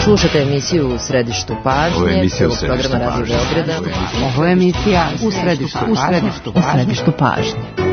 Slušate emisiju U središtu pažnje, programa Radio Beograda. Ovo je emisija U središtu pažnje.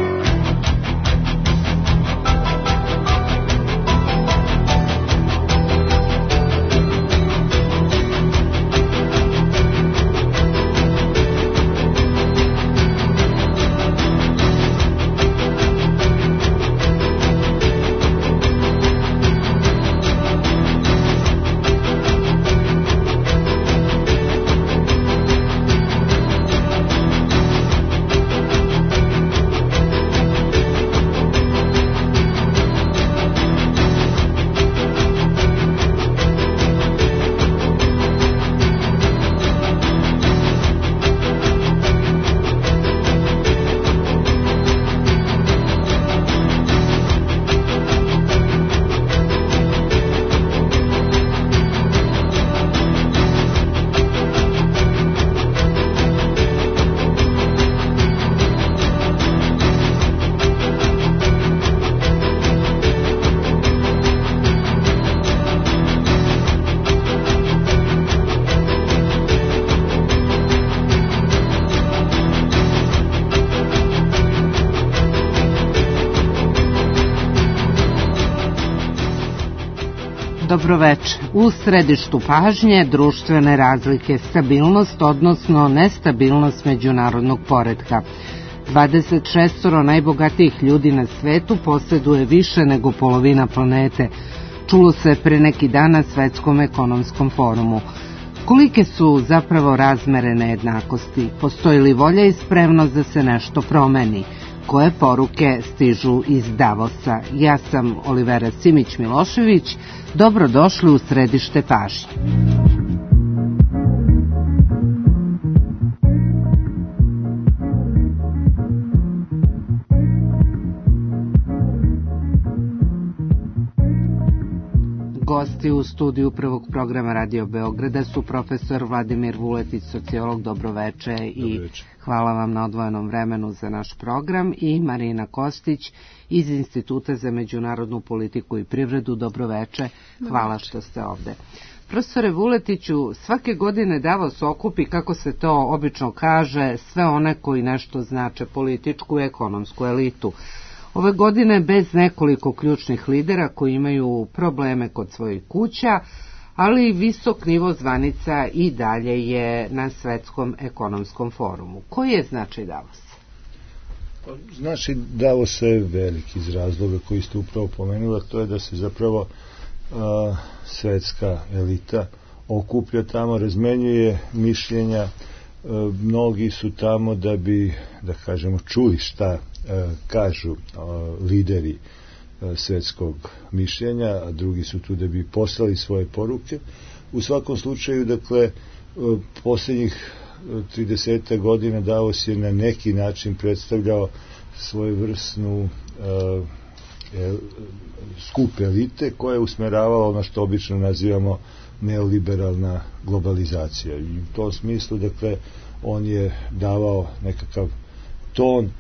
Dobroveče. U središtu pažnje društvene razlike, stabilnost, odnosno nestabilnost međunarodnog poretka. 26 najbogatijih ljudi na svetu posjeduje više nego polovina planete. Čulo se pre neki dan na Svetskom ekonomskom forumu. Kolike su zapravo razmere nejednakosti? Postoji li volja i spremnost da se nešto promeni? Koje poruke stižu iz Davosa? Ja sam Olivera Simić-Milošević. Dobrodošli u središte pažnje. Gosti u studiju prvog programa Radio Beograda su profesor Vladimir Vuletić, sociolog. Dobroveče i hvala vam na odvojenom vremenu za naš program, i Marina Kostić iz Instituta za međunarodnu politiku i privredu. Dobroveče, hvala što ste ovde. Profesore Vuletiću, svake godine Davos okupi, kako se to obično kaže, sve one koji nešto znače, političku i ekonomsku elitu. Ove godine bez nekoliko ključnih lidera koji imaju probleme kod svojih kuća, ali visok nivo zvanica i dalje je na Svetskom ekonomskom forumu. Koji je značaj Davosa? Značaj Davosa je veliki iz razloga koji ste upravo pomenula, to je da se zapravo svetska elita okuplja tamo, razmenjuje mišljenja, mnogi su tamo da bi, da kažemo, čuli šta kažu lideri svetskog mišljenja, a drugi su tu da bi poslali svoje poruke. U svakom slučaju, dakle, posljednjih 30 godina Davos je na neki način predstavljao svojevrsnu skup elite koja je usmeravala ono što obično nazivamo neoliberalna globalizacija. I u tom smislu, dakle, on je davao nekakav ton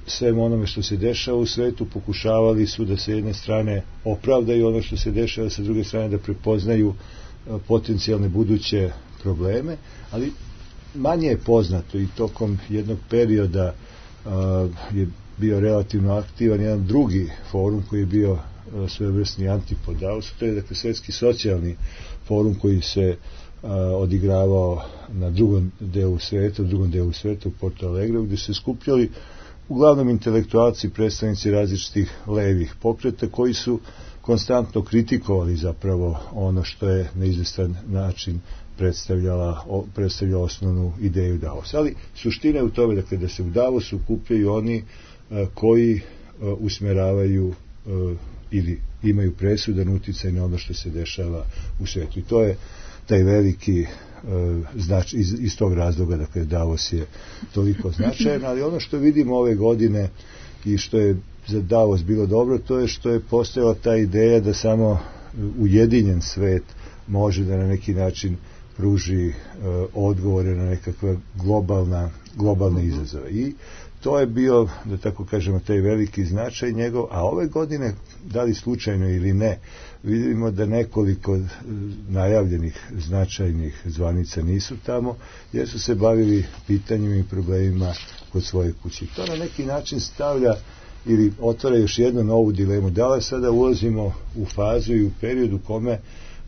svemu onome što se dešava u svetu. Pokušavali su da se jedne strane opravdaju ono što se dešava, sa druge strane da prepoznaju potencijalne buduće probleme, ali manje je poznato, i tokom jednog perioda je bio relativno aktivan jedan drugi forum koji je bio svojevrsni antipod Davosu, to je, dakle, Svetski socijalni forum koji se odigravao na drugom delu sveta u Porto Alegre, gdje se skupljali uglavnom intelektualci, predstavnici različitih levih pokreta koji konstantno kritikovali zapravo ono što je na izvestan način predstavljala osnovnu ideju Davosa. Ali suština je u tome, dakle, da se u Davosu kupljaju oni koji usmeravaju ili imaju presudan uticaj na ono što se dešava u svijetu. I to je taj veliki značaj, iz tog razloga, dakle, Davos je toliko značajan, ali ono što vidimo ove godine i što je za Davos bilo dobro, to je što je postojala ta ideja da samo ujedinjen svet može da na neki način pruži odgovore na nekakve globalne izazove. I To je bio, da tako kažemo, taj veliki značaj njegov, a ove godine, da li slučajno ili ne, vidimo da nekoliko najavljenih značajnih zvanica nisu tamo, jer su se bavili pitanjima i problemima kod svoje kuće. To na neki način stavlja ili otvara još jednu novu dilemu. Da li sada ulazimo u fazu i u periodu kome,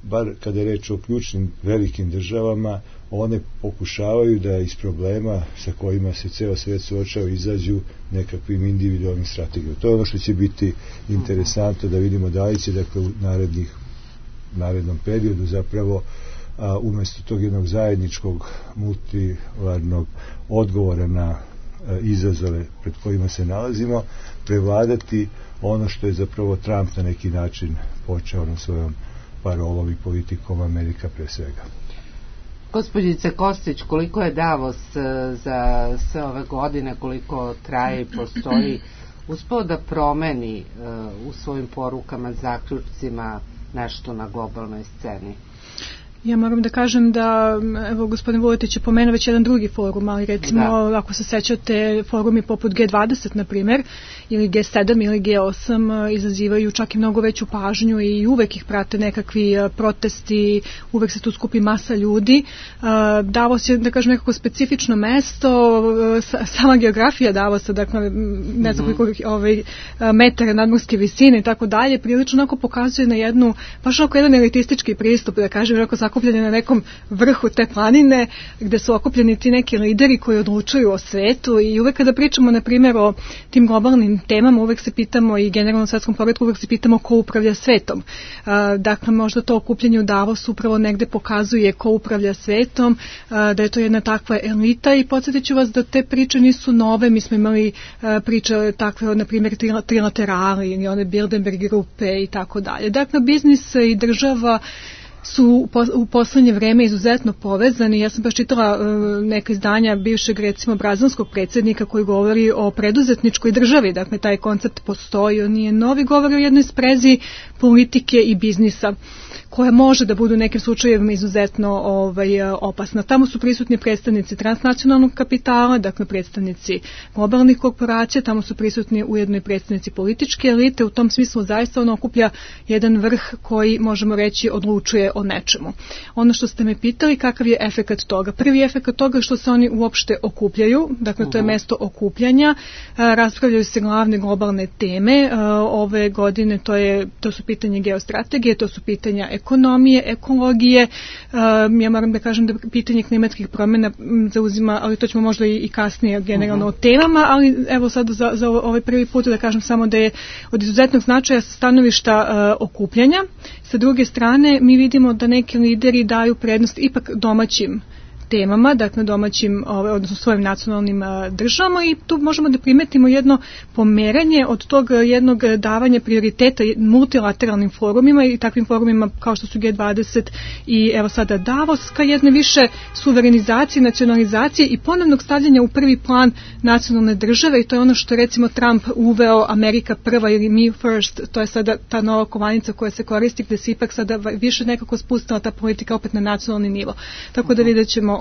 bar kada je reč o ključnim velikim državama, one pokušavaju da iz problema sa kojima se ceo svet suočava izađu nekakvim individualnim strategijom. To je ono što će biti interesantno da vidimo da li će, dakle, u narednom periodu zapravo umjesto tog jednog zajedničkog multilarnog odgovora na izazove pred kojima se nalazimo, prevladati ono što je zapravo Trump na neki način počeo na svojom parolom i politikom Amerika pre svega. Gospođice Kostić, koliko je Davos za sve ove godine, koliko traje i postoji, uspeo da promeni u svojim porukama, zaključcima nešto na globalnoj sceni? Ja moram da kažem da, evo, gospodin Vuletić je pomenuo već jedan drugi forum, ali recimo, ako se sećate, forumi poput G20, na primjer, ili G7 ili G8 izazivaju čak i mnogo veću pažnju i uvek ih prate nekakvi protesti, uvek se tu skupi masa ljudi. Davos je, da kažem, nekako specifično mesto, sama geografija Davosa, dakle, ne znam koliko metara nadmorske visine i tako dalje, prilično onako pokazuje na jednu, baš onako jedan elitistički pristup, da kažem, onako sakupljeni na nekom vrhu te planine, gde su okupljeni ti neki lideri koji odlučuju o svetu i uvek kada pričamo, na primjer, o tim globalnim temama, uvek se pitamo i generalno svetskom poretku, uvek se pitamo ko upravlja svetom. Dakle, možda to okupljanje u Davosu upravo negde pokazuje ko upravlja svetom, da je to jedna takva elita i podsjetit ću vas da te priče nisu nove, mi smo imali priče takve, na primjer, trilaterali ili one Bilderberg grupe i tako dalje. Dakle, biznis i država su u poslednje vreme izuzetno povezani. Ja sam baš čitala neka izdanja bivšeg, recimo, brazilskog predsjednika koji govori o preduzetničkoj državi. Dakle, taj koncept postoji, on nije novi, govori o jednoj sprezi politike i biznisa, koja može da budu u nekim slučajevima izuzetno opasna. Tamo su prisutni predstavnici transnacionalnog kapitala, dakle predstavnici globalnih korporacija, tamo su prisutni ujedno i predstavnici političke elite, u tom smislu zaista on okuplja jedan vrh koji, možemo reći, odlučuje o nečemu. Ono što ste me pitali, kakav je efekat toga? Prvi efekat toga je što se oni uopšte okupljaju, dakle to je mesto okupljanja, raspravljaju se glavne globalne teme, ove godine to su pitanje geostrategije, to su pitanja ekonomije, ekologije, ja moram da kažem da pitanje klimatskih promjena zauzima, ali to ćemo možda i kasnije generalno o temama, ali evo sad za ovaj prvi put da kažem samo da je od izuzetnog značaja sa stanovišta okupljanja. Sa druge strane, mi vidimo da neki lideri daju prednost ipak domaćim temama, dakle domaćim, odnosno svojim nacionalnim državama i tu možemo da primetimo jedno pomeranje od tog jednog davanja prioriteta multilateralnim forumima i takvim forumima kao što su G20 i evo sada Davos, ka jedne više suverenizacije, nacionalizacije i ponovnog stavljanja u prvi plan nacionalne države i to je ono što recimo Trump uveo Amerika prva ili me first, to je sada ta nova kovanica koja se koristi gde se ipak sada više nekako spustila ta politika opet na nacionalni nivo. Tako da vidjet ćemo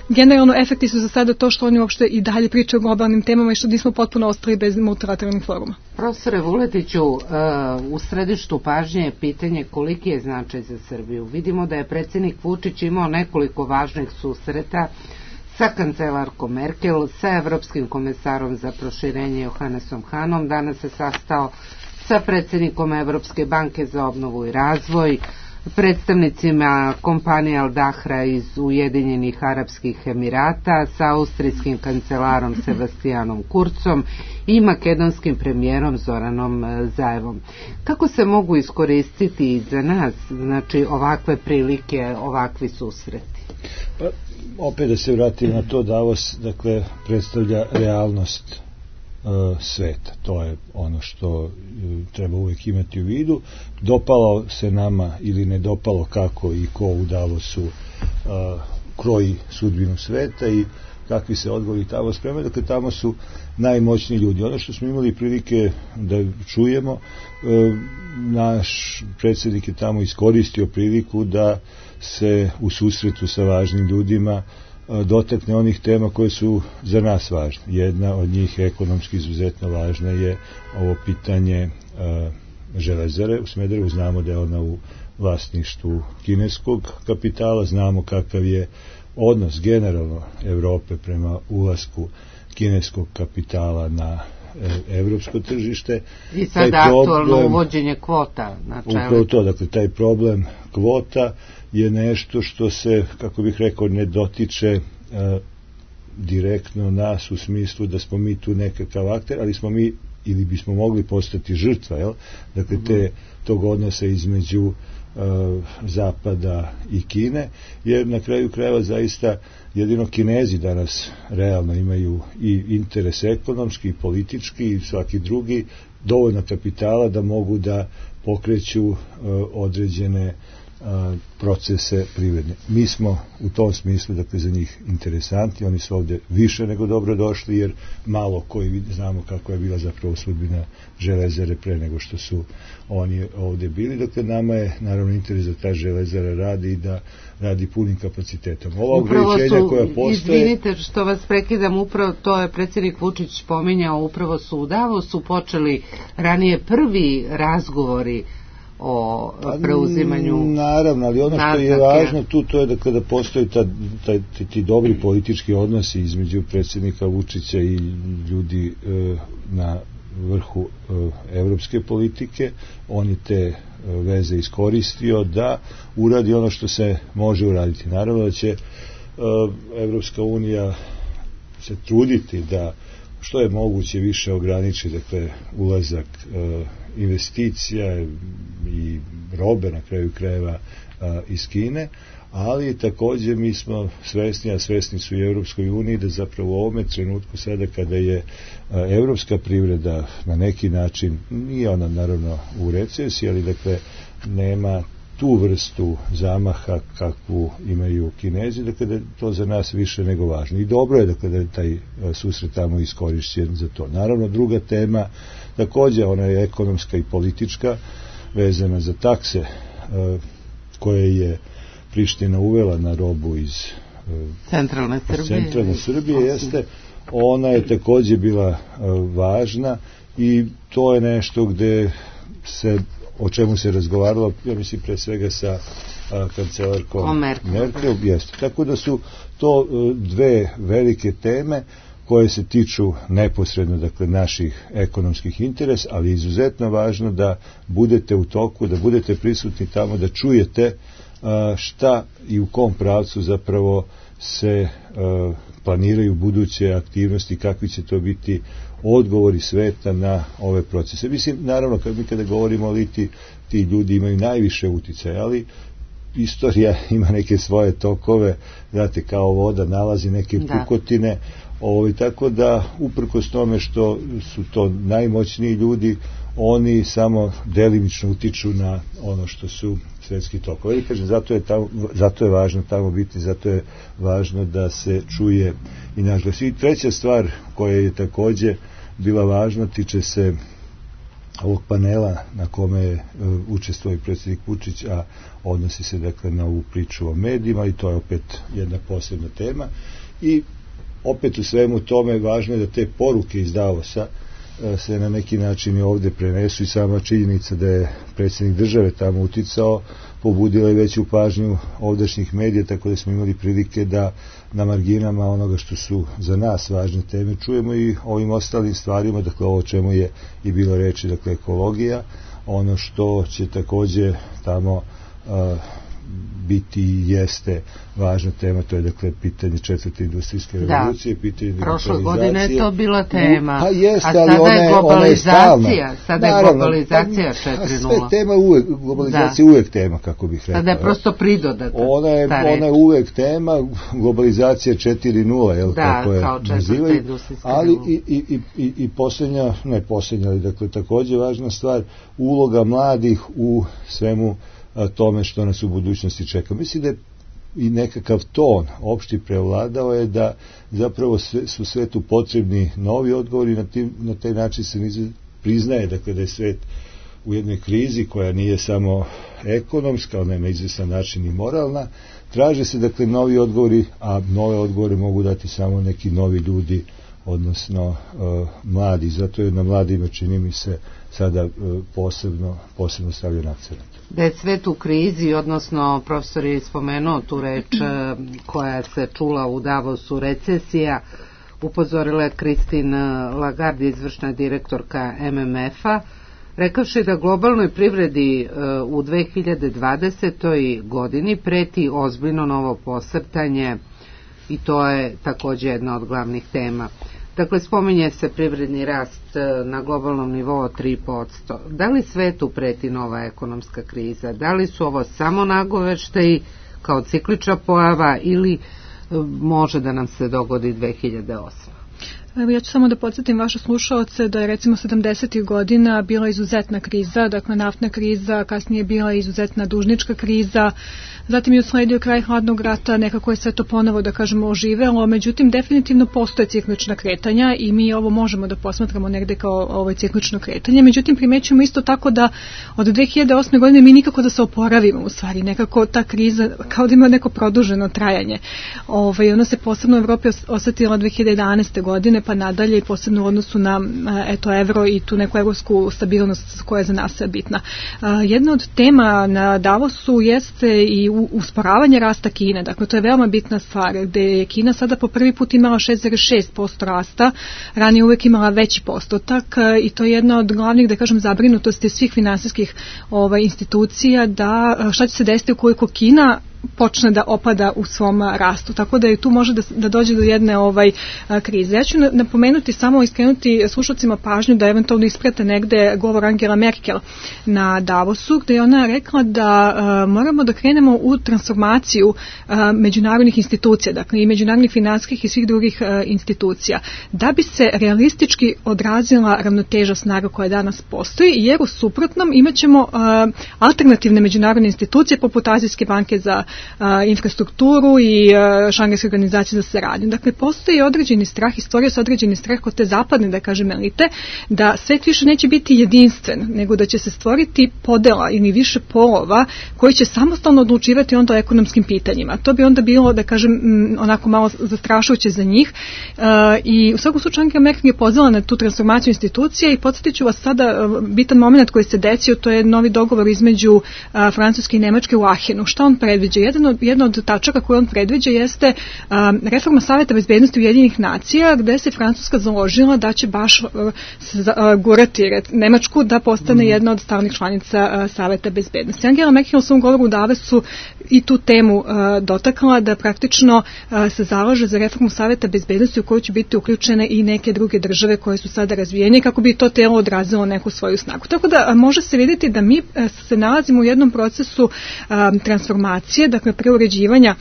generalno efekti su za sada to što oni uopšte i dalje pričaju o globalnim temama i što nismo potpuno ostali bez multilateralnih foruma. Profesore Vuletiću, u središtu pažnje je pitanje koliki je značaj za Srbiju. Vidimo da je predsjednik Vučić imao nekoliko važnih susreta sa kancelarkom Merkel, sa evropskim komesarom za proširenje Johannesom Hanom, danas se sastao sa predsjednikom Evropske banke za obnovu i razvoj, predstavnicima kompanije Al Dahra iz Ujedinjenih Arapskih Emirata, sa austrijskim kancelarom Sebastianom Kurzom i makedonskim premijerom Zoranom Zaevom. Kako se mogu iskoristiti i za nas, znači, ovakve prilike, ovakvi susreti? Pa, opet da se vratim na to, Davos, dakle, predstavlja realnost sveta. To je ono što treba uvijek imati u vidu. Dopalo se nama ili ne dopalo kako i ko u Davosu kroji sudbinu sveta i kakvi se odgovori tamo spremaju. Dakle, tamo su najmoćniji ljudi. Ono što smo imali prilike da čujemo, naš predsjednik je tamo iskoristio priliku da se u susretu sa važnim ljudima dotakne onih tema koje su za nas važne. Jedna od njih, ekonomski izuzetno važna, je ovo pitanje železare u Smederevu. Znamo da je ona u vlasništvu kineskog kapitala, znamo kakav je odnos generalno Evrope prema ulasku kineskog kapitala na evropsko tržište. I sad aktualno uvođenje kvota na čelu. Upravo to, dakle, taj problem kvota je nešto što se, kako bih rekao, ne dotiče direktno nas u smislu da smo mi tu nekakav akter, ali smo mi, ili bismo mogli postati žrtva, jel? Dakle, tog odnosa između Zapada i Kine, jer na kraju krajeva zaista jedino Kinezi danas realno imaju i interes ekonomski, i politički, i svaki drugi, dovoljno kapitala da mogu da pokreću određene procese privredne. Mi smo u tom smislu, dakle, za njih interesanti, oni su ovde više nego dobro došli, jer malo koji znamo kako je bila zapravo sudbina železare pre nego što su oni ovde bili. Dakle, nama je naravno interes da ta železara radi i da radi punim kapacitetom. Ova ograničenja koja postoje... Izvinite što vas prekidam, upravo to je predsjednik Vučić pominjao, upravo su u Davosu počeli ranije prvi razgovori o preuzimanju. Naravno, ali ono što je važno tu, to je da kada postoji ti dobri politički odnosi između predsjednika Vučića i ljudi na vrhu evropske politike, on je te veze iskoristio da uradi ono što se može uraditi. Naravno da će Evropska unija se truditi da što je moguće više ograniči, dakle, ulazak investicija i robe na kraju krajeva iz Kine, ali također mi smo svesni, a svesni su i Evropskoj uniji, da zapravo u ovome trenutku sada kada je evropska privreda na neki način, nije ona naravno u recesiji, ali dakle nema tu vrstu zamaha kakvu imaju Kinezi, dakle da je to za nas više nego važno. I dobro je dakle da je taj susret tamo iskorišćen za to. Naravno, druga tema, također ona je ekonomska i politička, vezana za takse koje je Priština uvela na robu iz centralne Srbije, jeste, ona je također bila važna i to je nešto gde se, o čemu se razgovaralo, ja mislim pre svega sa kancelarkom Merkel, jeste. Tako da su to dve velike teme koje se tiču neposredno, dakle, naših ekonomskih interesa, ali izuzetno važno da budete u toku, da budete prisutni tamo, da čujete šta i u kom pravcu zapravo se planiraju buduće aktivnosti, kakvi će to biti odgovori sveta na ove procese. Mislim, naravno, kada govorimo o Litiji, ti ljudi imaju najviše uticaja, ali istorija ima neke svoje tokove, znate, kao voda nalazi neke pukotine, tako da uprkos tome što su to najmoćniji ljudi, oni samo delimično utiču na ono što su svetski tokovi. I kažem, zato je važno tamo biti, zato je važno da se čuje i naš glas. I treća stvar koja je također bila važna, tiče se ovog panela na kome je učestvovao i predsjednik Vučić, a odnosi se dakle na ovu priču o medijima, i to je opet jedna posebna tema. I opet u svemu tome važno je da te poruke iz Davosa se na neki način i ovde prenesu, i sama činjenica da je predsjednik države tamo uticao pobudila i veću pažnju ovdašnjih medija, tako da smo imali prilike da na marginama onoga što su za nas važne teme čujemo i ovim ostalim stvarima, dakle ovo o čemu je i bilo reči, dakle ekologija, ono što će također tamo biti i jeste važna tema, to je dakle pitanje četvrte industrijske revolucije, pitanje digitalizacije. Prošle godine je to bila tema, a sada je globalizacija, sada je globalizacija 4.0. Sve tema uvek, globalizacija je uvek tema, kako bih rekao. Sada je prosto pridodata. Ona je uvek tema, globalizacija 4.0, jel, kako je nazivaju, ali i posljednja, ne posljednja, ali dakle također važna stvar, uloga mladih u svemu tome što nas u budućnosti čeka. Mislim da je i nekakav ton opšti prevladao je da zapravo su svetu potrebni novi odgovori, na taj način se priznaje, dakle, da je svet u jednoj krizi koja nije samo ekonomska, ona je na izvestan način i moralna, traže se dakle novi odgovori, a nove odgovore mogu dati samo neki novi ljudi, odnosno mladi. Zato je na mladima, čini mi se, sada posebno stavlja akcent. Da je svet u krizi, odnosno profesor je spomenuo tu reč koja se čula u Davosu, recesija, upozorila je Christine Lagarde, izvršna direktorka MMF-a, rekavši da globalnoj privredi u 2020. godini preti ozbiljno novo posrtanje i to je također jedna od glavnih tema. Dakle, spominje se privredni rast na globalnom nivou od 3%. Da li svetu preti nova ekonomska kriza? Da li su ovo samo nagoveštaji kao ciklična pojava ili može da nam se dogodi 2008? Evo, ja ću samo da podsjetim vaše slušaoce da je recimo 70. godina bila izuzetna kriza, dakle naftna kriza, kasnije bila izuzetna dužnička kriza, zatim je usledio kraj hladnog rata, nekako je sve to ponovo, da kažemo, oživelo, međutim definitivno postoje ciklična kretanja i mi ovo možemo da posmatramo negde kao ciklično kretanje, međutim primećujemo isto tako da od 2008. godine mi nikako da se oporavimo, u stvari, nekako ta kriza kao da ima neko produženo trajanje. Ona se posebno u Evropi osetila 2011. godine, pa nadalje i posebno u odnosu na evro i tu neku evropsku stabilnost koja je za nas bitna. Jedna od tema na Davosu jeste i usporavanje rasta Kine, dakle to je veoma bitna stvar, gde je Kina sada po prvi put imala 6,6% rasta, ranije uvek imala veći postotak i to je jedna od glavnih, da kažem, zabrinutosti svih finansijskih institucija, da šta će se desiti ukoliko Kina počne da opada u svom rastu, tako da i tu može da dođe do jedne krize. Ja ću napomenuti, samo iskrenuti slušalcima pažnju da eventualno isprate negde govor Angela Merkel na Davosu, gde je ona rekla da moramo da krenemo u transformaciju međunarodnih institucija, dakle i međunarodnih finansijskih i svih drugih institucija, da bi se realistički odrazila ravnoteža snaga koja danas postoji, jer u suprotnom imaćemo alternativne međunarodne institucije poput Azijske banke za infrastrukturu i Šangajske organizacije za saradnju. Dakle, postoji određeni strah i stvorio se određeni strah kod te zapadne, da kažem, elite, da svet više neće biti jedinstven, nego da će se stvoriti podela ili više polova koji će samostalno odlučivati onda o ekonomskim pitanjima. To bi onda bilo, da kažem, onako malo zastrašujuće za njih i u svakom slučaju Angela Merkel je pozvala na tu transformaciju institucija i podsjetit ću vas sada bitan moment koji se desio, to je novi dogovor između Francuske i Nemačke u Ahenu. Šta on predviđa? Jedna od tačaka koju on predviđa jeste reforma Saveta bezbednosti Ujedinjenih nacija, gde se Francuska založila da će baš gurati Nemačku da postane jedna od stalnih članica Saveta bezbednosti. Angela Merkel u svom govoru u Davosu i tu temu dotakla, da praktično se zalaže za reformu Saveta bezbednosti u kojoj će biti uključene i neke druge države koje su sada razvijene kako bi to telo odrazilo neku svoju snagu. Tako da može se vidjeti da mi se nalazimo u jednom procesu transformacije, dakle preuređivanja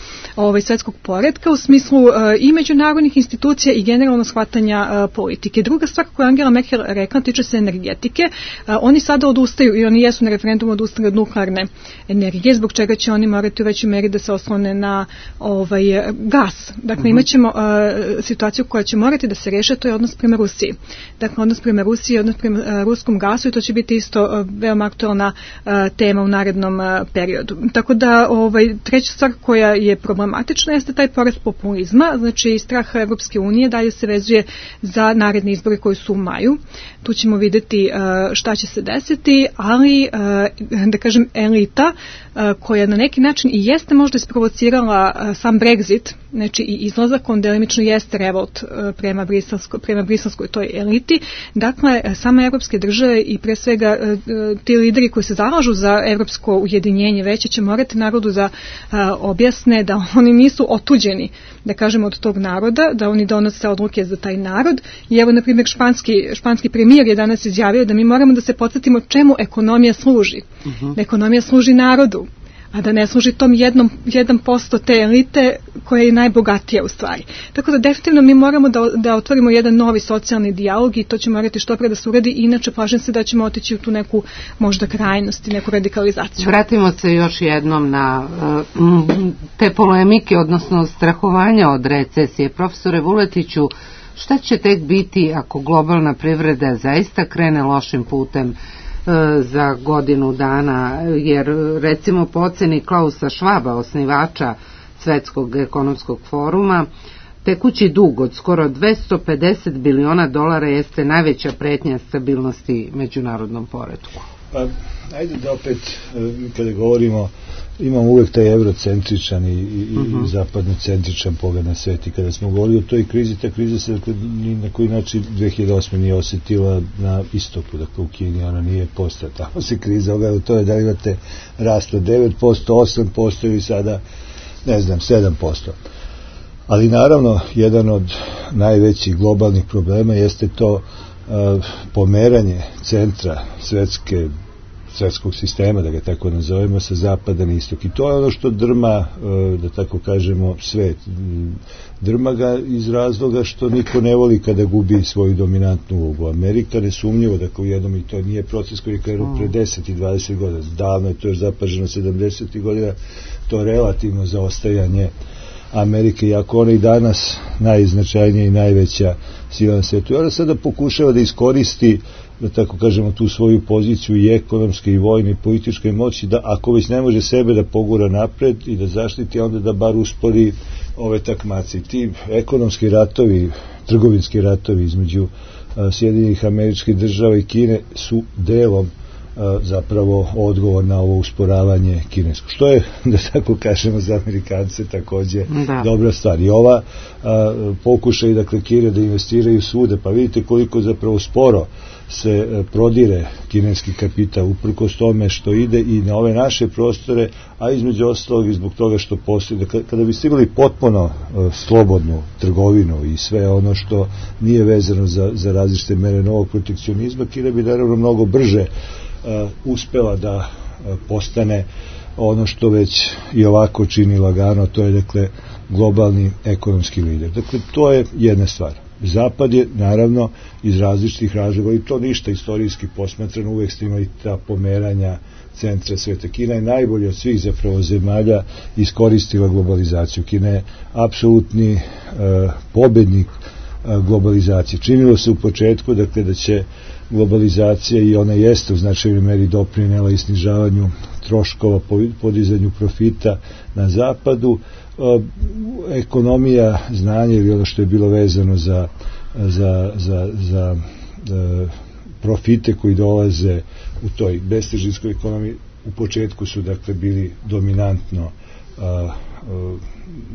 svetskog poretka u smislu i međunarodnih institucija i generalno shvatanja politike. Druga stvar koju Angela Merkel rekla tiče se energetike. Oni sada odustaju i oni jesu na referendumu odustali od nuklearne energije, zbog čega će oni morati u većoj meri da se oslone na gas. Dakle, imat ćemo situaciju koja će morati da se reše, to je odnos prema Rusiji. Dakle, odnos prema Rusiji i odnos prema ruskom gasu i to će biti isto veoma aktualna tema u narednom periodu. Tako da treća stvar koja je problematična jeste taj porast populizma, znači strah Evropske unije dalje se vezuje za naredne izbore koji su u maju. Tu ćemo vidjeti šta će se desiti, ali da kažem elita koja na neki način i jeste možda isprovocirala sam Brexit, znači i izlazak, on delimično jeste revolt prema briselskoj toj eliti. Dakle, same evropske države i pre svega ti lideri koji se zalažu za evropsko ujedinjenje veće će morati narodu da objasne da oni nisu otuđeni, da kažemo, od tog naroda, da oni donose odluke za taj narod. I evo, na primjer, španski premijer je danas izjavio da mi moramo da se podsjetimo čemu ekonomija služi. Da ekonomija služi narodu, a da ne služi tom 1% te elite koja je najbogatija u stvari. Tako da definitivno mi moramo da otvorimo jedan novi socijalni dijalog i to će morati što pre da se uradi, inače plašim se da ćemo otići u tu neku možda krajnost i neku radikalizaciju. Vratimo se još jednom na te polemike, odnosno strahovanja od recesije. Profesore Vuletiću, šta će tek biti ako globalna privreda zaista krene lošim putem? za godinu dana, jer recimo po oceni Klausa Schwaba, osnivača Svetskog ekonomskog foruma, tekući dug od skoro $250 biliona jeste najveća pretnja stabilnosti međunarodnom poretku. Pa, ajde da opet, kada govorimo, imamo uvek taj eurocentričan i zapadnocentričan pogled na svet, i kada smo govorili o toj krizi, ta kriza se ni na koji način 2008. nije osjetila na istoku, dakle u Kini ona nije postala, tamo se kriza ogledala, to je da imate rast od 9%, 8% ili sada, ne znam, 7%. Ali naravno, jedan od najvećih globalnih problema jeste to pomeranje centra svetskog sistema, da ga tako nazovemo, sa zapada na istok. I to je ono što drma, da tako kažemo, svet. Drma ga iz razloga što niko ne voli kada gubi svoju dominantnu ulogu. Amerika nesumnjivo, dakle u jednom, i to nije proces koji je krenuo pre 10 i 20 godina. Davno je to još zapaženo 70. godina, to relativno zaostajanje Amerike, iako ona i danas najznačajnija i najveća sila na svetu. I ona sada pokušava da iskoristi, da tako kažemo, tu svoju poziciju i ekonomske i vojne i političke moći, da ako već ne može sebe da pogura napred i da zaštiti, onda da bar uspori ove takmace. Ti ekonomski ratovi, trgovinski ratovi između Sjedinjenih Američkih Država i Kine su delom zapravo odgovor na ovo usporavanje kinesko. Što je, da tako kažemo, za Amerikance takođe dobra stvar. I ova pokušaj, dakle, Kine da investiraju svude, pa vidite koliko zapravo sporo se prodire kineski kapital, uprkos tome što ide i na ove naše prostore, a između ostalog i zbog toga što postoji. Kada biste imali potpuno slobodnu trgovinu i sve ono što nije vezano za različite mere novog protekcionizma, Kina bi naravno mnogo brže uspela da postane ono što već i ovako čini lagano, to je, dakle, globalni ekonomski lider. Dakle, to je jedna stvar. Zapad je, naravno, iz različitih razloga, i to ništa istorijski posmatrano, uvek ste imali ta pomeranja centra sveta. Kina je najbolje od svih zapravo zemalja iskoristila globalizaciju. Kina je apsolutni pobednik globalizacije. Činilo se u početku, dakle, da će globalizacija, i ona jeste u značajnoj meri doprinela i snižavanju troškova, podizanju profita na zapadu. Ekonomija, znanje ili ono što je bilo vezano za profite koji dolaze u toj bestežinskoj ekonomiji, u početku su, dakle, bili dominantno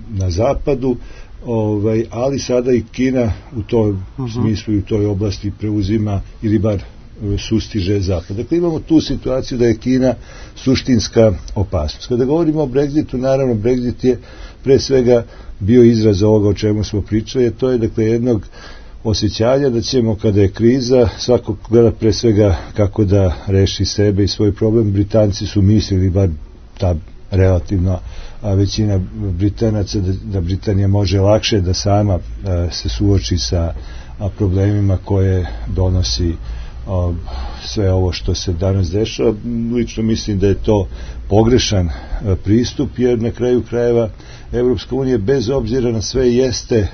na zapadu, ali sada i Kina u tom smislu i u toj oblasti preuzima ili bar sustiže zapad. Dakle, imamo tu situaciju da je Kina suštinska opasnost. Kada govorimo o Brexitu, naravno Brexit je pre svega bio izraz ovoga o čemu smo pričali, to je, dakle, jednog osjećanja da ćemo, kada je kriza, svako gleda pre svega kako da reši sebe i svoj problem. Britanci su mislili, bar ta relativno većina Britanaca, da Britanija može lakše da sama se suoči sa problemima koje donosi sve ovo što se danas dešava. Lično mislim da je to pogrešan pristup, jer na kraju krajeva Evropska unija, bez obzira na sve, jeste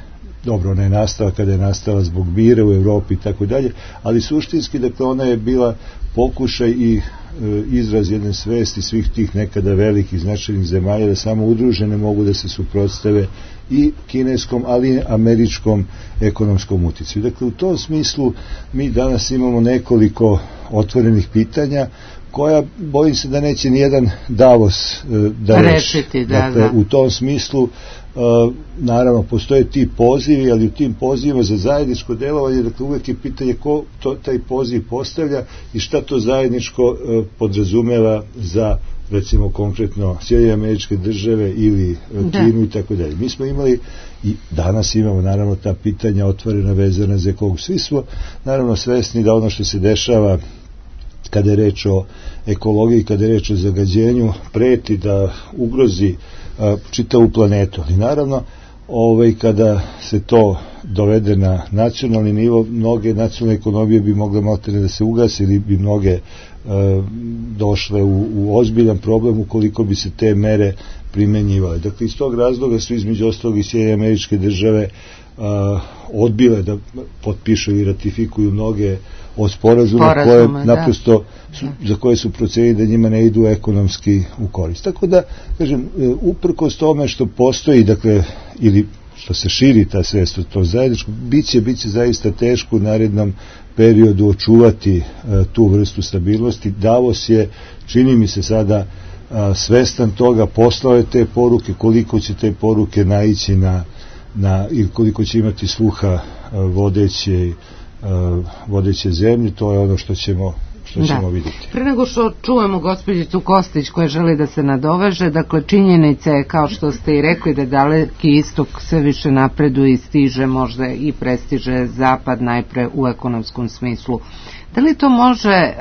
dobro, ona je nastala kada je nastala zbog mira u Evropi i tako dalje, ali suštinski, dakle, ona je bila pokušaj i izraz jedne svesti svih tih nekada velikih značajnih zemalja da samo udružene mogu da se suprotstave i kineskom, ali i američkom ekonomskom uticaju. Dakle, u tom smislu mi danas imamo nekoliko otvorenih pitanja koja, bojim se da neće nijedan Davos da reši. Dakle, u tom smislu, naravno, postoje ti pozivi, ali u tim pozivima za zajedničko delovanje, dakle, uvek je pitanje ko taj poziv postavlja i šta to zajedničko podrazumeva za, recimo, konkretno Sjedinjene Američke Države ili Kinu i tako dalje. Mi smo imali i danas imamo, naravno, ta pitanja otvorena, vezana za ekologu. Svi smo, naravno, svesni da ono što se dešava kada je reč o ekologiji, kada je reč o zagađenju, preti da ugrozi čitavu planetu. Ali naravno, kada se to dovede na nacionalni nivo, mnoge nacionalne ekonomije bi mogle maltene da se ugase ili bi mnoge došle u ozbiljan problem ukoliko bi se te mere primenjivale. Dakle, iz tog razloga su između ostalog i Sjedinjene Američke Države odbile da potpišu i ratifikuju mnoge od sporazuma koje naprosto za koje su procenili da njima ne idu ekonomski u korist. Tako da, kažem, uprkos tome što postoji, dakle, ili što se širi ta svest od to zajedničko, biće zaista teško u narednom periodu očuvati tu vrstu stabilnosti. Davos je, čini mi se sada, svestan toga, poslao je te poruke, koliko će te poruke naići ili koliko će imati sluha vodeće zemlje, to je ono što ćemo vidjeti. Pre nego što čujemo gospođicu Kostić koja želi da se nadoveže, dakle činjenica je, kao što ste i rekli, da Daleki istok sve više napreduje i stiže, možda i prestiže zapad najpre u ekonomskom smislu. Da li to može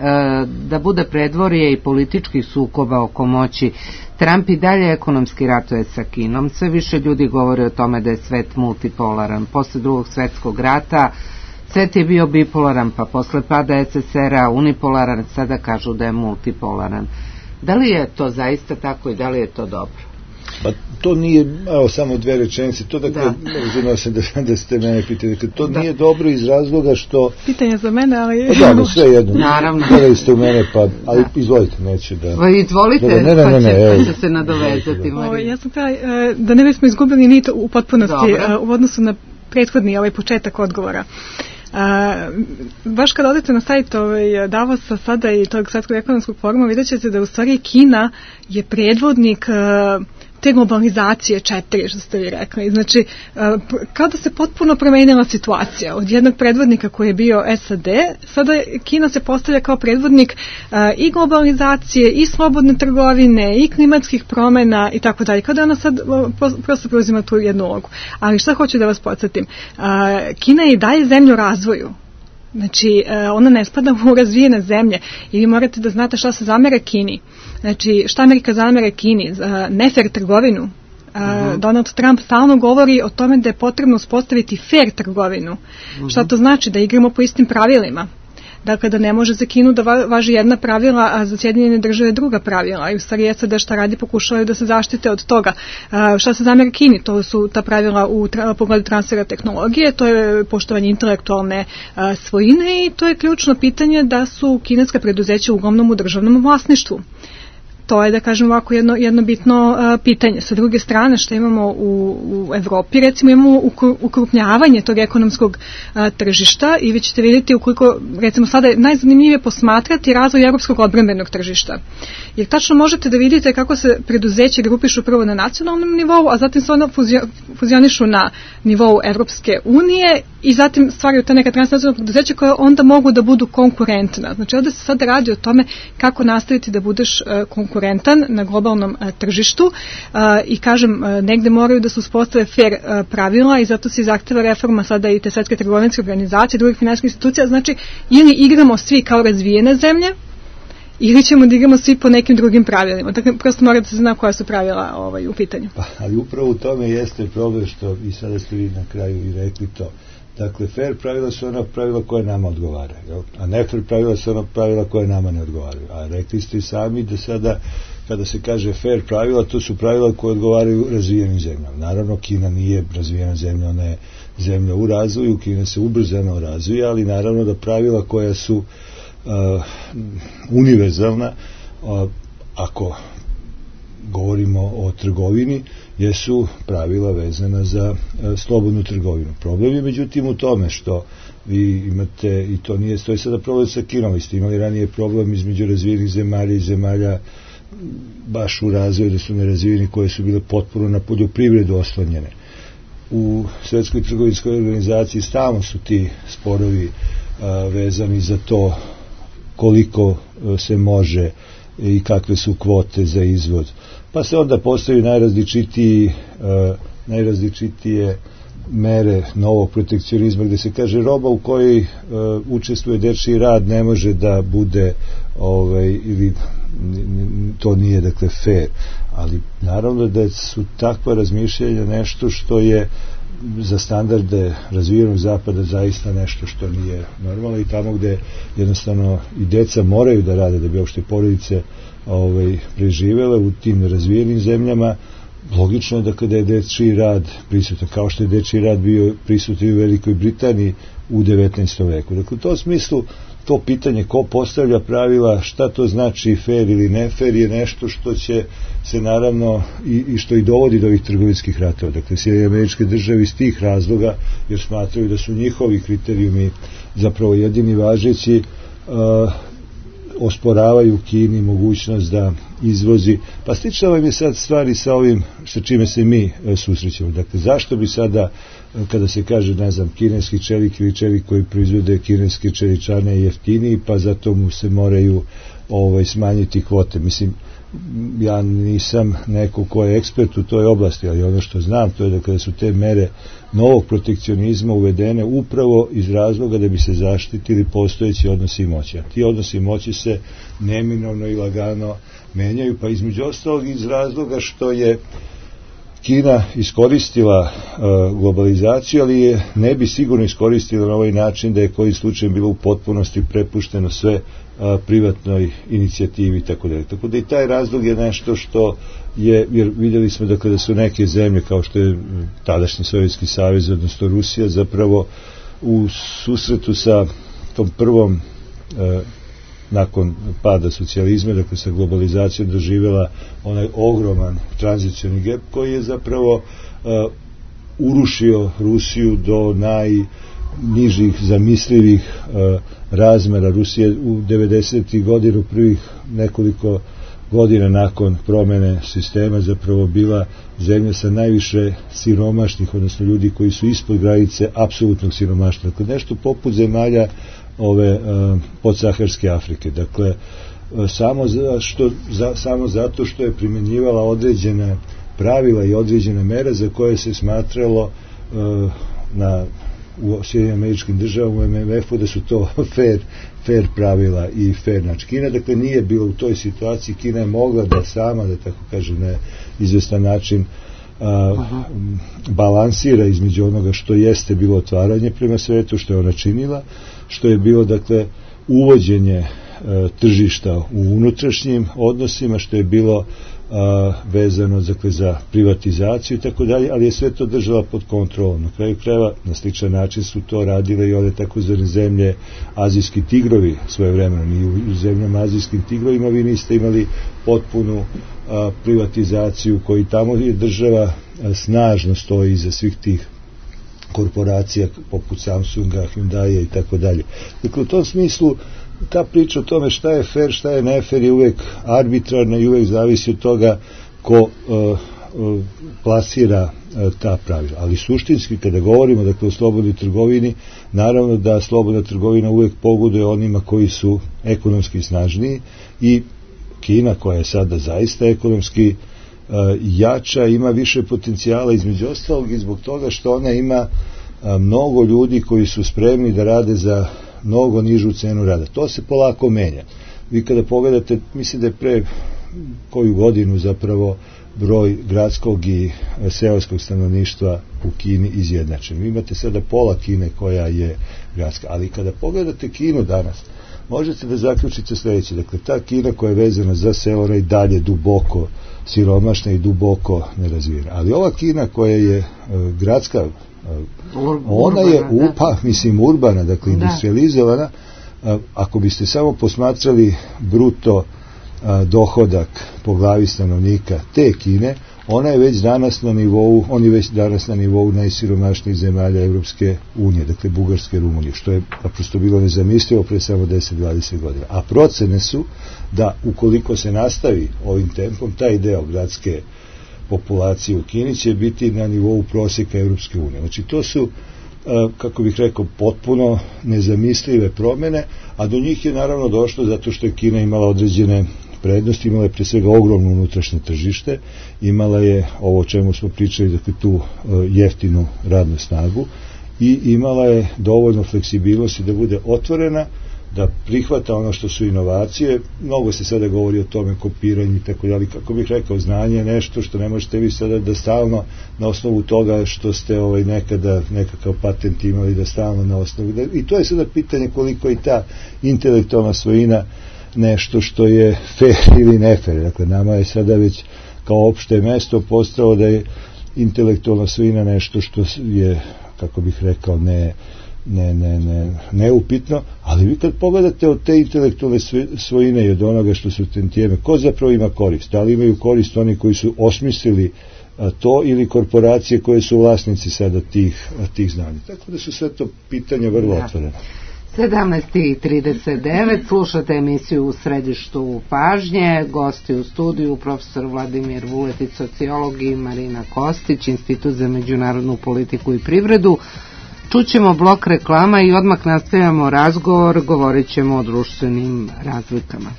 da bude predvorje i političkih sukoba oko moći? Trump i dalje ekonomski ratuje sa Kinom, sve više ljudi govore o tome da je svet multipolaran. Posle Drugog svetskog rata svet je bio bipolaran, pa posle pada SSR-a unipolaran, sada kažu da je multipolaran. Da li je to zaista tako i da li je to dobro? Pa to nije, samo dve rečenice, to dakle, razumio sam da ste mene pitali, to nije dobro iz razloga što... Pitanje za mene, ali... Da, sve jedno. Naravno. Gledali ste u mene, ali izvolite, neće da... Izvolite, pa će se nadovezati, Marija. Ja sam da ne bismo izgubili nit u potpunosti u odnosu na prethodni početak odgovora. Baš kad odete na sajt Davosa sada i tog svetskog ekonomskog foruma, vidjet ćete da u stvari Kina je predvodnik te globalizacije 4, što ste vi rekli. Znači, kao da se potpuno promenila situacija. Od jednog predvodnika koji je bio SAD, sada Kina se postavlja kao predvodnik i globalizacije, i slobodne trgovine, i klimatskih promena i tako dalje. Kao da ona sad prosto preuzima tu jednu ulogu. Ali šta hoću da vas podsjetim? Kina je i dalje zemlja u razvoju. Znači, ona ne spada u razvijene zemlje i vi morate da znate šta se zamere Kini. Znači, šta Amerika zamere Kini? Nefer trgovinu. Donald Trump stalno govori o tome da je potrebno uspostaviti fair trgovinu. Šta to znači? Da igramo po istim pravilima. Dakle, da ne može za Kinu da važi jedna pravila, a za Sjedinjene Države druga pravila. I u stvari SAD šta radi, pokušavaju da se zaštite od toga. Šta se zamere Kini? To su ta pravila u pogledu transfera tehnologije, to je poštovanje intelektualne svojine i to je ključno pitanje da su kineska preduzeća uglavnom u državnom vlasništvu. To je, da kažem ovako, jedno bitno pitanje. Sa druge strane, što imamo u Evropi, recimo imamo ukrupnjavanje tog ekonomskog tržišta i vi ćete vidjeti ukoliko, recimo sada je najzanimljivije posmatrati razvoj evropskog odbrambenog tržišta. Jer tačno možete da vidite kako se preduzeće grupišu prvo na nacionalnom nivou, a zatim se onda fuzionišu na nivou Evropske unije i zatim stvaraju ta neka transnacionalna preduzeća koja onda mogu da budu konkurentna. Znači ovdje se sada radi o tome kako nastaviti da budeš konkurentan na globalnom tržištu i kažem, negde moraju da se uspostave fair pravila i zato se zahteva reforma sada i te svetske trgovinske organizacije, drugih finansijskih institucija. Znači, ili igramo svi kao razvijene zemlje, ili ćemo da igramo svi po nekim drugim pravilima. Dakle, prosto mora da se zna koja su pravila u pitanju. Ali upravo u tome jeste problem što i sada ste vi na kraju i rekli to. Dakle, fair pravila su ona pravila koje nama odgovaraju, a ne fair pravila su ona pravila koje nama ne odgovaraju. A rekli ste i sami da sada, kada se kaže fair pravila, to su pravila koje odgovaraju razvijenim zemljama. Naravno, Kina nije razvijena zemlja, ona je zemlja u razvoju, Kina se ubrzano razvija, ali naravno da pravila koja su univerzalna, ako govorimo o trgovini, jesu pravila vezana za slobodnu trgovinu. Problem je međutim u tome što vi imate, i to nije stoji sada problem sa Kinom, vi ste imali ranije problem između razvijenih zemalja i zemalja baš u razvoju, da su nerazvijeni, koje su bile potpuno na poljoprivredu oslonjene. U Svetskoj trgovinskoj organizaciji stalno su ti sporovi vezani za to koliko se može i kakve su kvote za izvoz. Pa se onda postavi najrazličitije mere novog protekcionizma, gde se kaže roba u kojoj učestvuje dečiji rad ne može da bude ili to nije, dakle, fair. Ali naravno da su takva razmišljanja nešto što je za standarde razvijenog zapada zaista nešto što nije normalno, i tamo gde jednostavno i deca moraju da rade da bi uopšte porodice preživele u tim razvijenim zemljama, logično je da kada je dečiji rad prisutan, kao što je dečiji rad bio prisutan u Velikoj Britaniji u 19. veku. Dakle, u tom smislu to pitanje ko postavlja pravila, šta to znači fair ili ne fair, je nešto što će se naravno i što i dovodi do ovih trgovinskih ratova. Dakle, Sjedinjene Američke Države iz tih razloga, jer smatraju da su njihovi kriterijumi zapravo jedini važeći, osporavaju Kini mogućnost da izvozi. Pa slično vam je sad stvari sa ovim sa čime se mi susrećemo. Dakle, zašto bi sada, kada se kaže, ne znam, kineski čelik ili čelik koji proizvode kineske čeličane jeftiniji, pa zato mu se moraju smanjiti kvote. Mislim, ja nisam neko ko je ekspert u toj oblasti, ali ono što znam to je da kada su te mere novog protekcionizma uvedene upravo iz razloga da bi se zaštitili postojeći odnosi moći. A ti odnosi moći se neminovno i lagano menjaju, pa između ostalog iz razloga što je Kina iskoristila globalizaciju, ali je ne bi sigurno iskoristila na ovaj način da je koji slučaj bilo u potpunosti prepušteno sve privatnoj inicijativi i tako dalje. Tako da i taj razlog je nešto što je, jer vidjeli smo dakle da su neke zemlje kao što je tadašnji Sovjetski savez, odnosno Rusija, zapravo u susretu sa tom prvom nakon pada socijalizma, dakle sa globalizacijom doživjela onaj ogroman tranzicioni gap koji je zapravo urušio Rusiju do najnižih zamislivih razmera. Rusija u 90. godinu, prvih nekoliko godina nakon promene sistema, zapravo bila zemlja sa najviše siromašnih, odnosno ljudi koji su ispod granice apsolutnog siromaštva. Dakle, nešto poput zemalja ove podsaharske Afrike. Dakle, samo zato što je primjenjivala određene pravila i određene mere za koje se smatralo u Sjedinjenim Američkim Državama, u MMF-u, da su to fair pravila i fair način. Kina, dakle, nije bila u toj situaciji. Kina je mogla da sama, da tako kažem, na izvestan način balansira između onoga što jeste bilo otvaranje prema svetu, što je ona činila, što je bilo, dakle, uvođenje tržišta u unutrašnjim odnosima, što je bilo vezano, dakle, za privatizaciju i tako dalje, ali je sve to držala pod kontrolom. Na kraju krajeva, na sličan način su to radile i ove takozvane zemlje azijski tigrovi svojevremeno. Ni u zemljama azijskim tigrovima vi niste imali potpunu privatizaciju, koji tamo je država snažno stoji iza svih tih korporacija poput Samsunga, Hyundai i tako dalje. Dakle, u tom smislu ta priča o tome šta je fair, šta je nefair je uvek arbitrarna i uvek zavisi od toga ko plasira ta pravila. Ali suštinski, kada govorimo, dakle, o slobodnoj trgovini, naravno da slobodna trgovina uvek pogoduje onima koji su ekonomski snažniji, i Kina, koja je sada zaista ekonomski jača, ima više potencijala, između ostalog i zbog toga što ona ima mnogo ljudi koji su spremni da rade za mnogo nižu cenu rada. To se polako menja. Vi kada pogledate, mislim da je pre koju godinu zapravo broj gradskog i seoskog stanovništva u Kini izjednačen. Vi imate sada pola Kine koja je gradska, ali kada pogledate Kinu danas, možete da zaključite sljedeće. Dakle, ta Kina koja je vezana za selo i dalje duboko siromašna i duboko nerazvijena. Ali ova Kina koja je gradska, ona je urbana, dakle industrializovana. Ako biste samo posmatrali bruto dohodak po glavi stanovnika te Kine, ona je već danas na nivou, on je već danas na nivou najsiromašnijih zemalja Evropske unije, dakle Bugarske i Rumunije, što je naprosto bilo nezamislivo pre samo 10-20 godina. A procene su da ukoliko se nastavi ovim tempom, taj deo gradske populacije u Kini će biti na nivou prosjeka Evropske unije. Znači, to su, kako bih rekao, potpuno nezamislive promene, a do njih je naravno došlo zato što je Kina imala određene prednosti, imala je pre svega ogromno unutrašnje tržište, imala je ovo o čemu smo pričali, dakle tu jeftinu radnu snagu, i imala je dovoljno fleksibilnosti da bude otvorena, da prihvata ono što su inovacije. Mnogo se sada govori o tome, kopiranju i tako dalje. Kako bih rekao, znanje je nešto što ne možete vi sada da stalno na osnovu toga što ste nekada nekakav patent imali, da stalno na osnovu. I to je sada pitanje koliko i ta intelektualna svojina nešto što je fair ili ne fair. Dakle, nama je sada već kao opšte mesto postalo da je intelektualna svojina nešto što je, kako bih rekao, neupitno, ali vi kad pogledate od te intelektualne svojine i od onoga što su tantijeme, ko zapravo ima korist? Da li imaju korist oni koji su osmislili to ili korporacije koje su vlasnici sada tih znanja? Tako da su sve to pitanja vrlo otvorene. 17:39, slušate emisiju U središtu pažnje, gosti u studiju profesor Vladimir Vuletić, sociolog, i Marina Kostić, Institut za međunarodnu politiku i privredu. Čućemo blok reklama i odmah nastavljamo razgovor, govorit ćemo o društvenim razlikama.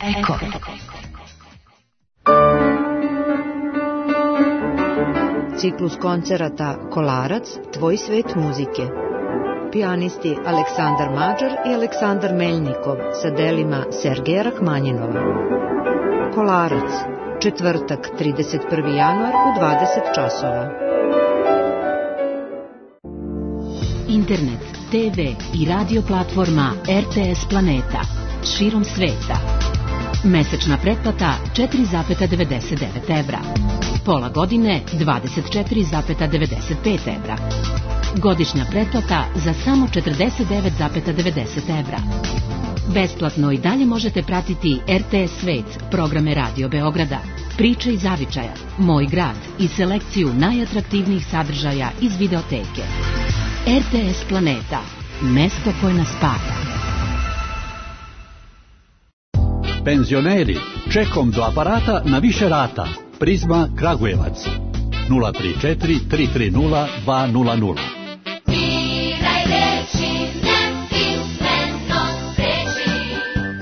Eko. Ciklus koncerata Kolarac, tvoj svet muzike. Pijanisti Aleksandar Mađar i Aleksandar Meljnikov sa delima Sergeja Rahmanjinova. Kolarac, četvrtak, 31. januar u 20 časova. Internet, TV i radio platforma RTS Planeta širom sveta. Mesečna pretplata 4,99 evra. Pola godine 24,95 evra. Godišnja pretplata za samo 49,90 evra. Besplatno i dalje možete pratiti RTS Svet, programe Radio Beograda, priče iz zavičaja, Moj grad i selekciju najatraktivnijih sadržaja iz videoteke. RTS Planeta, mesto koje nas spaja. Penzioneri, čekom do aparata na više rata. Prizma Kragujevac 034 330 200.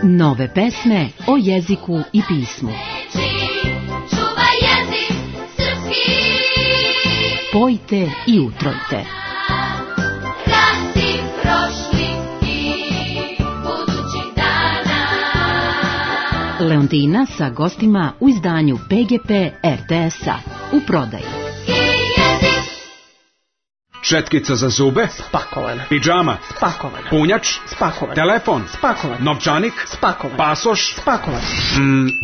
Nove pesme o jeziku i pismu. Pojte i utrojte. Leontina sa gostima u izdanju PGP RTS-a u prodaji. Četkica za zube? Spakovana. Pidžama? Spakovana. Punjač? Spakovan. Telefon? Spakovan. Novčanik? Spakovan. Pasoš? Spakovan.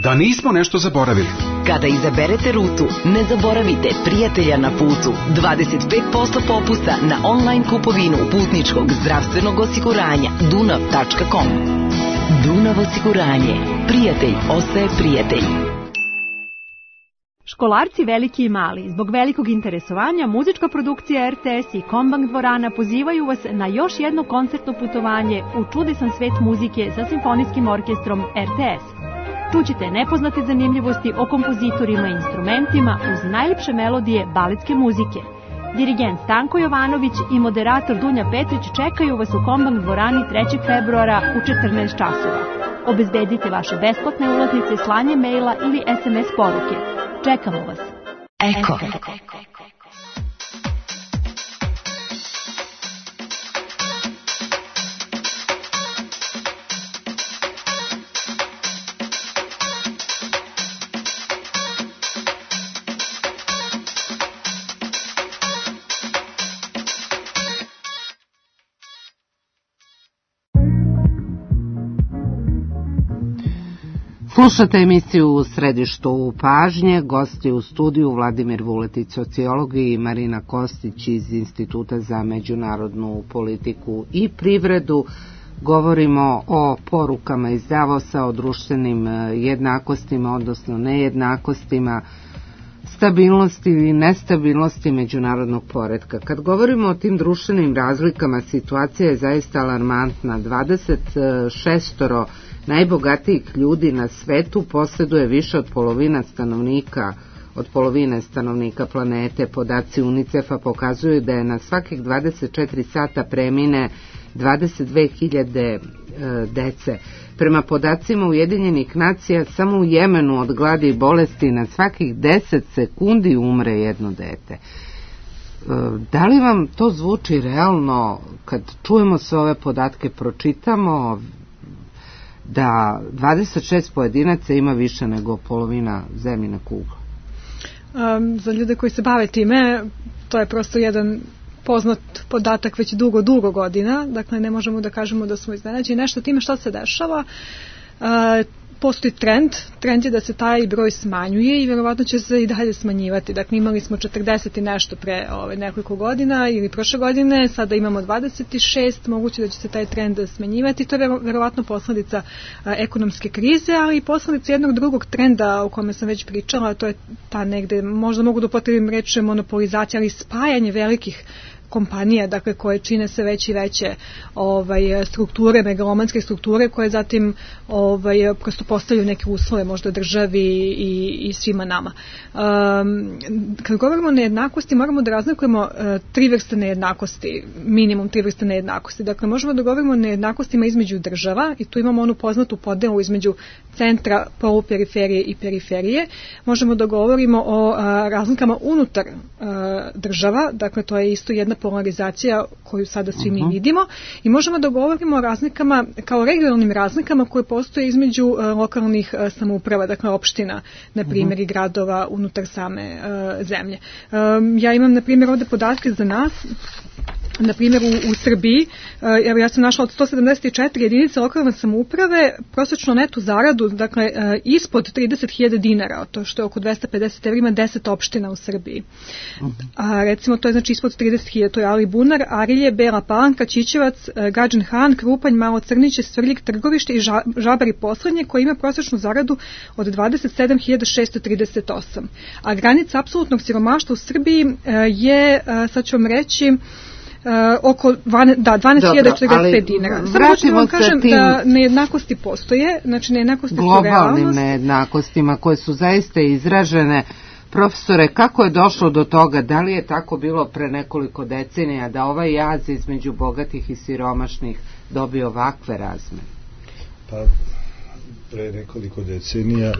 Da nismo nešto zaboravili. Kada izaberete rutu, ne zaboravite prijatelja na putu. 25% popusta na online kupovinu putničkog zdravstvenog osiguranja dunav.com. Dunav osiguranje. Prijatelj ostaje prijatelj. Školarci veliki i mali, zbog velikog interesovanja, muzička produkcija RTS i Kombank dvorana pozivaju vas na još jedno koncertno putovanje u čudesan svet muzike sa simfonijskim orkestrom RTS. Čućite nepoznate zanimljivosti o kompozitorima i instrumentima uz najljepše melodije baletske muzike. Dirigent Stanko Jovanović i moderator Dunja Petrić čekaju vas u Kombank dvorani 3. februara u 14 časova. Obezbedite vaše besplatne ulaznice slanjem maila ili SMS poruke. Čekamo vas. Eko. Slušate emisiju U središtu pažnje, gosti u studiju Vladimir Vuletić, sociolog, i Marina Kostić iz Instituta za međunarodnu politiku i privredu. Govorimo o porukama iz Davosa, o društvenim jednakostima, odnosno nejednakostima, stabilnosti ili nestabilnosti međunarodnog poretka. Kad govorimo o tim društvenim razlikama, situacija je zaista alarmantna. 26 najbogatijih ljudi na svetu posjeduje više od polovine stanovnika planete. Podaci UNICEF-a pokazuju da je na svakih 24 sata premine 22.000 dece. Prema podacima Ujedinjenih nacija, samo u Jemenu od gladi i bolesti na svakih 10 sekundi umre jedno dete. Da li vam to zvuči realno kad čujemo sve ove podatke, pročitamo da 26 pojedinaca ima više nego polovina zemljine kugle? Za ljude koji se bave time, to je prosto jedan poznat podatak već dugo godina, dakle ne možemo da kažemo da smo iznenađeni nešto time što se dešava. postoji trend je da se taj broj smanjuje i verovatno će se i dalje smanjivati. Dakle, imali smo 40 i nešto pre nekoliko godina ili prošle godine, sada imamo 26, moguće da će se taj trend smanjivati. To je verovatno posledica ekonomske krize, ali i posledica jednog drugog trenda o kome sam već pričala, to je ta negde, možda mogu da upotrebim reč monopolizacija, ali spajanje velikih kompanija, dakle, koje čine sve veće i veće strukture, megalomanske strukture, koje zatim prosto postavljaju neke uslove možda državi i svima nama. Kad govorimo o nejednakosti, moramo da razlikujemo tri vrste nejednakosti, minimum tri vrste nejednakosti. Dakle, možemo da govorimo o nejednakostima između država i tu imamo onu poznatu podelu između centra, poluperiferije i periferije. Možemo da govorimo o razlikama unutar država, dakle, to je isto jedna polarizacija koju sada svi mi vidimo, i možemo da govorimo o razlikama, kao regionalnim razlikama koje postoje između lokalnih samouprava, dakle opština, na primjer, i gradova unutar same zemlje. Ja imam, na primjer, ovde podatke za nas. Na primjer, u Srbiji, evo, ja sam našla od 174 jedinice lokalne samouprave prosječno netu zaradu, dakle, ispod 30.000 dinara, to što je oko 250 evra, ima 10 opština u Srbiji. A recimo, to je znači ispod 30.000, to je Alibunar, Arilje, Bela Palanka, Ćićevac, Gadžin Han, Krupanj, Malo Crniće, Svrljig, Trgovište i Žabar i poslednje, koji ima prosječnu zaradu od 27.638. A granica apsolutnog siromaštva u Srbiji je, sad ću vam reći, oko 12.045 dinara. Samo hoću da vam kažem da nejednakosti postoje, znači nejednakosti su realnost. Globalnim nejednakostima koje su zaista izražene. Profesore, kako je došlo do toga? Da li je tako bilo pre nekoliko decenija da ovaj jaz između bogatih i siromašnih dobio ovakve razmere? Pa, pre nekoliko decenija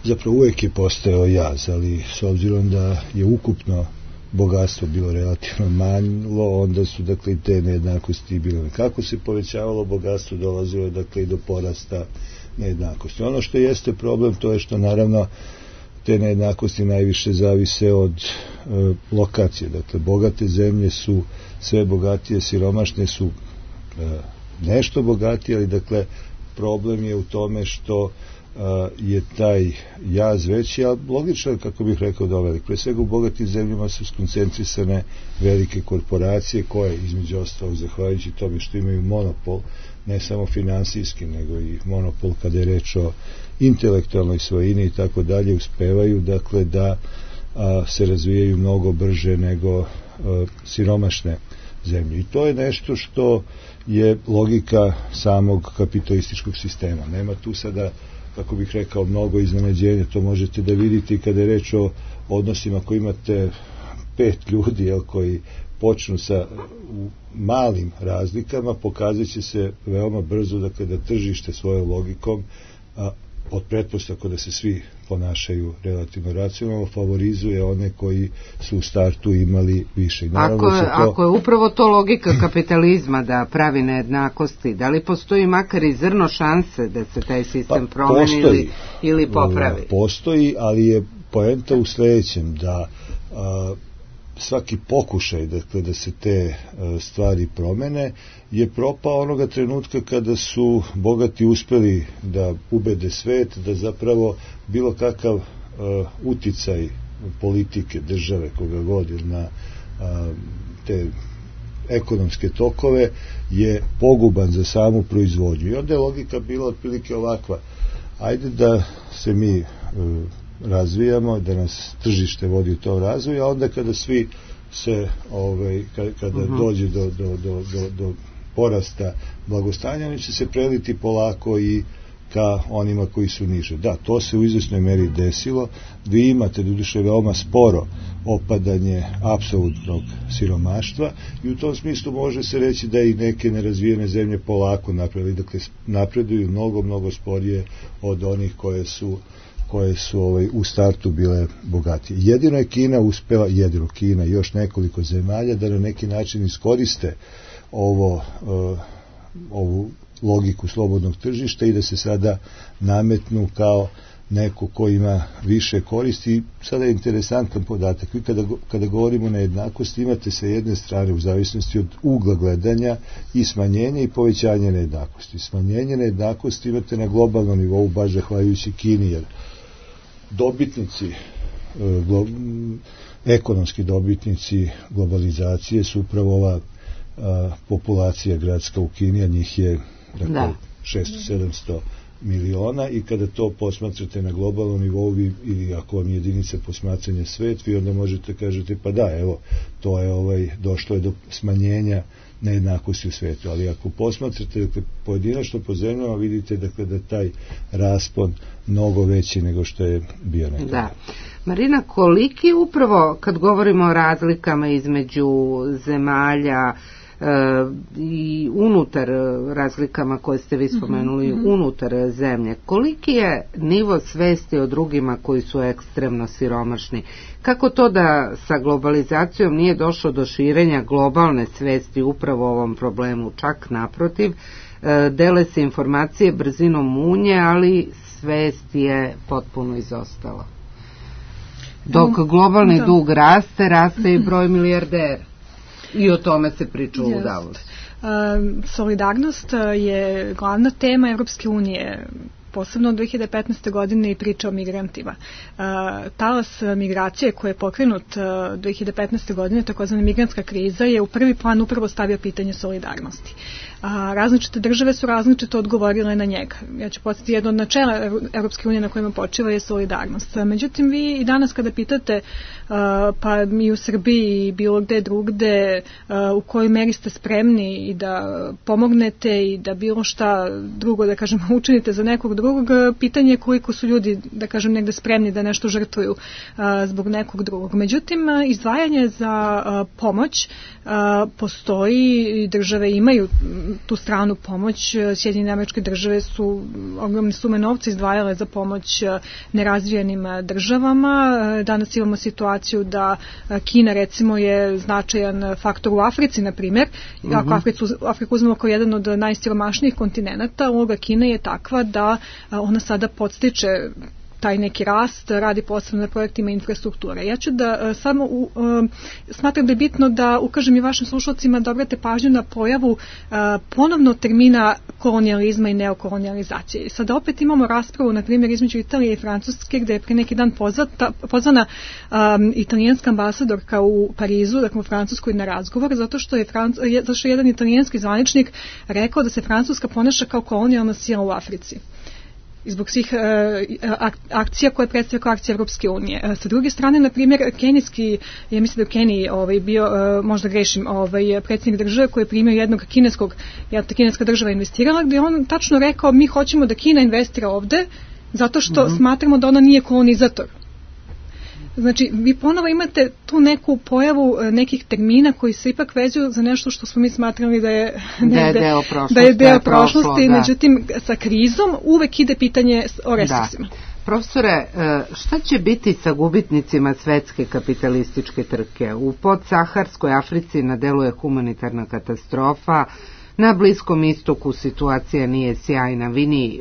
zapravo uvek je postojao jaz, ali s obzirom da je ukupno bogatstvo bilo relativno malo, onda su, dakle, i te nejednakosti bile. Kako se povećavalo bogatstvo, dolazilo je, dakle, i do porasta nejednakosti. Ono što jeste problem, to je što, naravno, te nejednakosti najviše zavise od lokacije. Dakle, bogate zemlje su sve bogatije, siromašne su nešto bogatije, ali, dakle, problem je u tome što je taj jaz veći, a logično je, kako bih rekao, da velik. Pre svega u bogatim zemljama su skoncentrisane velike korporacije koje, između ostalog, zahvaljujući tome što imaju monopol, ne samo finansijski, nego i monopol kada je reč o intelektualnoj svojini i tako dalje, uspevaju, dakle, da se razvijaju mnogo brže nego siromašne zemlje. I to je nešto što je logika samog kapitalističkog sistema. Nema tu sada, kako bih rekao, mnogo iznenađenja. To možete da vidite i kada je reč o odnosima koji imate 5 ljudi koji počnu sa malim razlikama, pokazat će se veoma brzo, dakle, da tržište svojom logikom, od pretpostavka da se svi ponašaju relativno racionalno, favorizuje one koji su u startu imali više. Ako je upravo to logika kapitalizma da pravi nejednakosti, da li postoji makar i zrno šanse da se taj sistem promeni ili popravi? Postoji, ali je poenta u sledećem, da svaki pokušaj, dakle, da se te stvari promene je propao onoga trenutka kada su bogati uspeli da ubede svet, da zapravo bilo kakav uticaj politike, države, koga god, na te ekonomske tokove je poguban za samu proizvodnju. I onda je logika bila otprilike ovakva: ajde da se mi razvijamo, da nas tržište vodi u tom razvoju, a onda kada svi se, kada dođe do porasta blagostanja, oni će se preliti polako i ka onima koji su niže. Da, to se u izvesnoj meri desilo. Vi imate, doduše, veoma sporo opadanje apsolutnog siromaštva i u tom smislu može se reći da i neke nerazvijene zemlje polako napravili, dakle, napreduju mnogo sporije od onih koje su u startu bile bogatije. Jedino je Kina uspela, Kina i još nekoliko zemalja, da na neki način iskoriste ovu logiku slobodnog tržišta i da se sada nametnu kao neko ko ima više koristi. Sada je interesantan podatak. Vi kada govorimo o nejednakosti, imate sa jedne strane, u zavisnosti od ugla gledanja, i smanjenje i povećanje nejednakosti. Smanjenje nejednakosti imate na globalnom nivou, baš zahvaljujući Kini, jer dobitnici, ekonomski dobitnici globalizacije su upravo ova populacija gradska u Kini, a njih je 600-700 miliona, i kada to posmatrate na globalnom nivou, ili ako vam jedinica posmatranja svet, vi onda možete kažete, pa da, evo, to je došlo je do smanjenja nejednakosti u svetu, ali ako posmatrate pojedinačno po zemljama, vidite da taj raspon mnogo veći nego što je bio nekada. Da. Marina, koliki upravo, kad govorimo o razlikama između zemalja i unutar razlikama koje ste vi spomenuli, unutar zemlje, koliki je nivo svesti o drugima koji su ekstremno siromašni? Kako to da sa globalizacijom nije došlo do širenja globalne svesti upravo o ovom problemu? Čak naprotiv, dele se informacije brzinom munje, ali svest je potpuno izostala. Dok globalni dug raste i broj milijardera. I o tome se priča u Davosu. Solidarnost je glavna tema Evropske unije, posebno od 2015. godine, i priča o migrantima. Talas migracije koji je pokrenut 2015. godine, takozvana migrantska kriza, je u prvi plan upravo stavio pitanje solidarnosti. Različite države su različito odgovorile na njega. Ja ću podsjetiti, jedno od načela Evropske unije na kojima počiva je solidarnost. Međutim, vi i danas kada pitate, pa i u Srbiji i bilo gde drugde, u kojoj meri ste spremni i da pomognete i da bilo šta drugo, da kažem, učinite za nekog drugog, pitanje je koliko su ljudi, da kažem, negde spremni da nešto žrtvuju zbog nekog drugog. Međutim, izdvajanje za pomoć postoji i države imaju tu stranu pomoć. Sjedinjene Američke Države su ogromne sume novca izdvajale za pomoć nerazvijenim državama. Danas imamo situaciju da Kina, recimo, je značajan faktor u Africi, na primjer. Ako Afriku uzmemo kao jedan od najsiromašnijih kontinenata, uloga Kine je takva da ona sada podstiče taj neki rast, radi posebno na projektima infrastrukture. Ja ću da samo smatram da je bitno da ukažem i vašim slušalcima da obrate pažnju na pojavu ponovno termina kolonijalizma i neokolonijalizacije. Sada opet imamo raspravu, na primjer, između Italije i Francuske, gde je pre neki dan pozvana italijanska ambasadorka u Parizu, dakle u Francuskoj, na razgovor, zato što je jedan italijanski zvaničnik rekao da se Francuska ponaša kao kolonijalna sila u Africi. Zbog svih akcija koje predstavlja kao akcija Evropske unije. Sa druge strane, na primjer, kenijski, ja mislim da je u Keniji bio, možda grešim, predsjednik države koji je primio jednog kineska država investirala, gdje on tačno rekao, mi hoćemo da Kina investira ovde zato što smatramo da ona nije kolonizator. Znači, vi ponovo imate tu neku pojavu nekih termina koji se ipak vezuju za nešto što smo mi smatrali da je deo prošlosti, međutim, sa krizom uvek ide pitanje o resursima. Profesore, šta će biti sa gubitnicima svetske kapitalističke trke? U podsaharskoj Africi na delu je humanitarna katastrofa, na Bliskom istoku situacija nije sjajna. Vini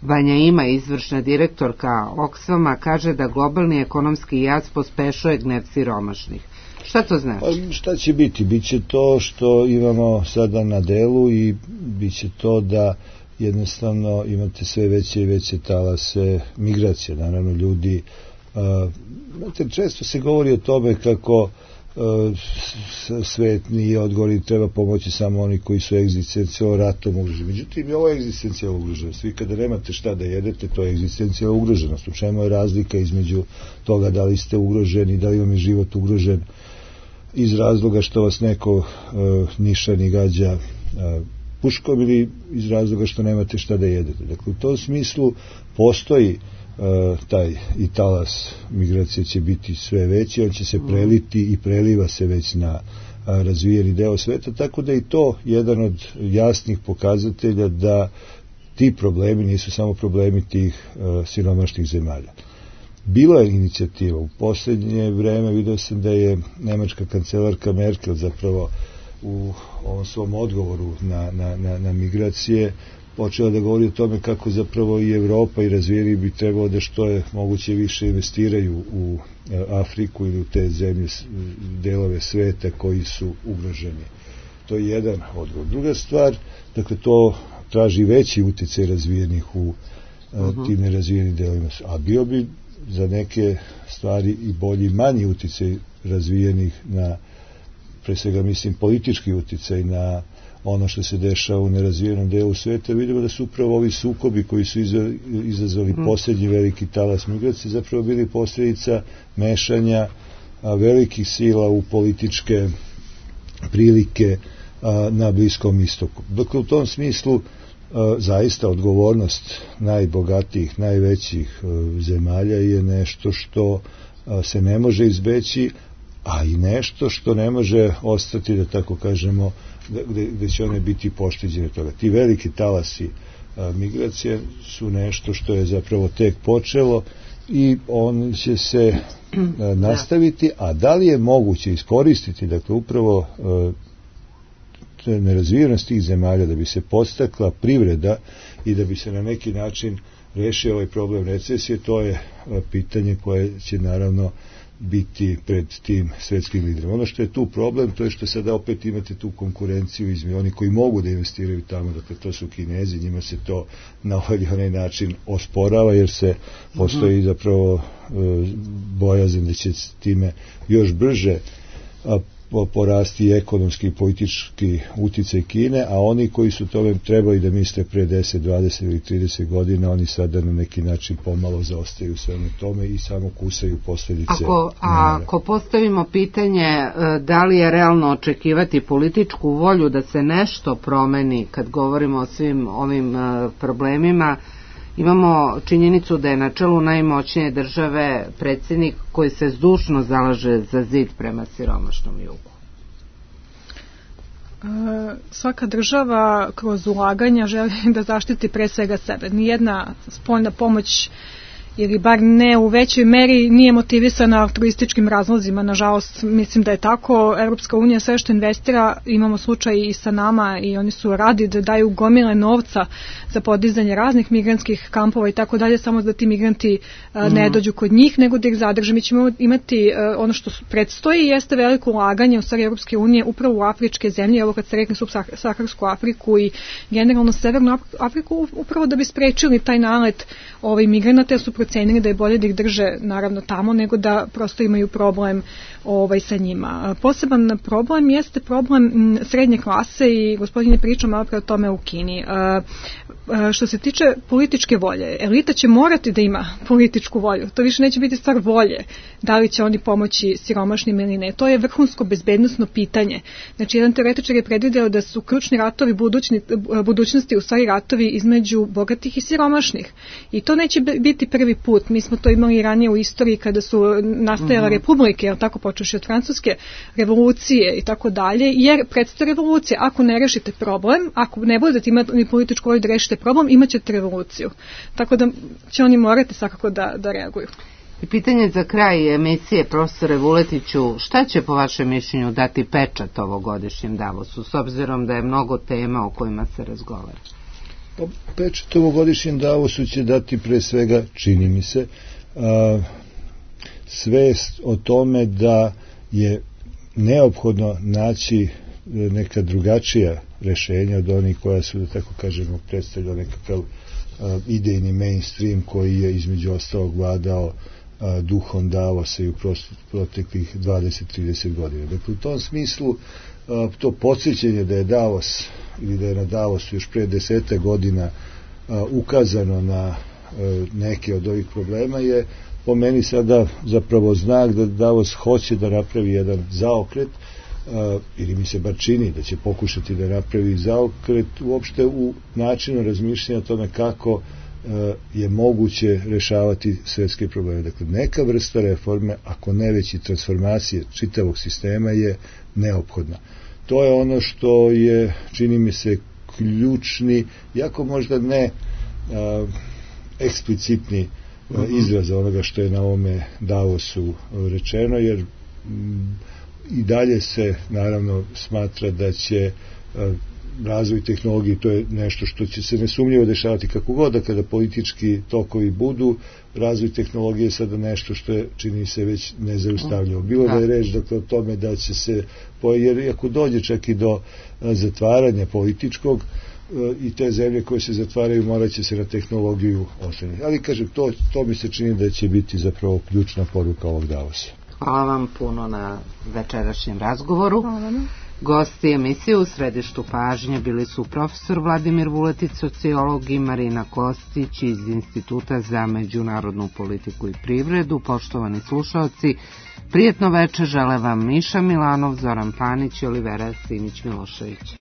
Banja Ima, izvršna direktorka Oxfama, kaže da globalni ekonomski jaz pospešuje gnev siromašnih. Šta to znači? Pa, šta će biti? Biće to što imamo sada na delu i biće to da jednostavno imate sve veće i veće talase migracije. Naravno, ljudi, često se govori o tome kako svet nije odgovoran, treba pomoći samo oni koji su egzistencijalno ratom ugroženi. Međutim, i ovo je egzistencijalna ugroženost. Vi kada nemate šta da jedete, to je egzistencijalna ugroženost. U čemu je razlika između toga da li ste ugroženi, da li vam je život ugrožen iz razloga što vas neko nišani gađa puškom ili iz razloga što nemate šta da jedete. Dakle, u tom smislu postoji taj i talas migracije će biti sve veći, on će se preliti i preliva se već na razvijeni deo sveta, tako da i to jedan od jasnih pokazatelja da ti problemi nisu samo problemi tih siromašnih zemalja. Bila je inicijativa u posljednje vreme, vidio sam da je nemačka kancelarka Merkel zapravo u ovom svom odgovoru na migracije počela da govori o tome kako zapravo i Evropa i razvijeni bi trebalo da što je moguće više investiraju u Afriku ili u te zemlje, delove sveta koji su ugroženi. To je jedan odgovor. Druga stvar, dakle, to traži veći uticaj razvijenih u tim nerazvijenim delovima. A bio bi za neke stvari i bolji manji uticaj razvijenih na, pre svega mislim, politički uticaj na ono što se dešava u nerazvijenom delu sveta. Vidimo da su upravo ovi sukobi koji su izazvali posljednji veliki talas migracije zapravo bili posljedica mešanja velikih sila u političke prilike na Bliskom istoku. Dakle, u tom smislu zaista odgovornost najbogatijih, najvećih zemalja je nešto što se ne može izbeći, a i nešto što ne može ostati, da tako kažemo, gde će one biti pošteđene toga. Ti veliki talasi migracije su nešto što je zapravo tek počelo i on će se nastaviti, a da li je moguće iskoristiti, dakle, upravo nerazvijenost tih zemalja da bi se podstakla privreda i da bi se na neki način rešio ovaj problem recesije, to je pitanje koje će naravno biti pred tim svetskim liderima. Ono što je tu problem, to je što sada opet imate tu konkurenciju između oni koji mogu da investiraju tamo, dakle to su Kinezi, njima se to na ovaj ili onaj način osporava, jer se postoji zapravo bojazan da će time još brže porasti ekonomski i politički uticaj Kine, a oni koji su tome trebali da misle pre 10, 20 ili 30 godina, oni sada na neki način pomalo zaostaju u svemu tome i samo kusaju posljedice. Ako postavimo pitanje da li je realno očekivati političku volju da se nešto promeni kad govorimo o svim ovim problemima, imamo činjenicu da je na čelu najmoćnije države predsjednik koji se zdušno zalaže za zid prema siromašnom jugu. Svaka država kroz ulaganja želi da zaštiti pre svega sebe. Nijedna spoljna pomoć, ili bar ne u većoj meri, nije motivisana altruističkim razlozima. Nažalost, mislim da je tako. Europska unija sve što investira, imamo slučaj i sa nama, i oni su radi da daju gomile novca za podizanje raznih migrantskih kampova i tako dalje, samo da ti migranti ne dođu kod njih, nego da ih zadrže. Mi ćemo imati ono što predstoji, jeste veliko ulaganje u stvari Europske unije upravo u afričke zemlje, evo kad se rekne subsaharsku Afriku i generalno severnu Afriku, upravo da bi sprečili taj nalet migranata, jer su procenili da je bolje da ih drže naravno tamo nego da prosto imaju problem sa njima. Poseban problem jeste problem srednje klase i gospodin je pričao malo pre o tome u Kini. Što se tiče političke volje, elita će morati da ima političku volju. To više neće biti stvar volje, da li će oni pomoći siromašnim ili ne. To je vrhunsko bezbednosno pitanje. Znači, jedan teoretičar je predvideo da su ključni ratovi budućnosti u stvari ratovi između bogatih i siromašnih. I to neće biti prvi put. Mi smo to imali ranije u istoriji kada su nastajale republike, jel tako, počeši od francuske revolucije i tako dalje, jer predstoji revolucija. Ako ne rešite problem, ako ne budete imati političku volju da rešite problem, imat ćete revoluciju. Tako da će oni morati svakako da reaguju. I pitanje za kraj emisije, profesore Vuletiću, šta će po vašem mišljenju dati pečat ovogodišnjem Davosu, s obzirom da je mnogo tema o kojima se razgovara? Pečat ovogodišnjem Davosu će dati pre svega, čini mi se, svest o tome da je neophodno naći neka drugačija rešenja od onih koja su, da tako kažemo, predstavljala nekakav idejni mainstream koji je između ostalog vladao duhom Davosa i u proteklih 20-30 godina. Dakle, u tom smislu to podsjećanje da je Davos ili da je na Davosu još pre 10 godina ukazano na neke od ovih problema je po meni sada zapravo znak da Davos hoće da napravi jedan zaokret, ili mi se bar čini da će pokušati da napravi zaokret uopšte u načinu razmišljanja o tome kako je moguće rešavati svetske probleme. Dakle, neka vrsta reforme, ako ne već i transformacije čitavog sistema je neophodna. To je ono što je, čini mi se, ključni, jako možda ne eksplicitni izraz onoga što je na ovome Davosu rečeno, jer i dalje se naravno smatra da će razvoj tehnologije, to je nešto što će se nesumnjivo dešavati kako god, da kada politički tokovi budu, razvoj tehnologije je sada nešto što je, čini se, već nezaustavljivo. Bilo da je reč dakle o tome da će se, jer ako dođe čak i do zatvaranja političkog, i te zemlje koje se zatvaraju morat će se na tehnologiju oslanjati. Ali kažem, to mi se čini da će biti zapravo ključna poruka ovog Davosa. Hvala vam puno na večerašnjem razgovoru. Gosti emisije u središtu pažnje bili su profesor Vladimir Vuletić, sociolog, i Marina Kostić iz Instituta za međunarodnu politiku i privredu. Poštovani slušaoci, prijetno večer žele vam Miša Milanov, Zoran Panić i Olivera Simić Milošević.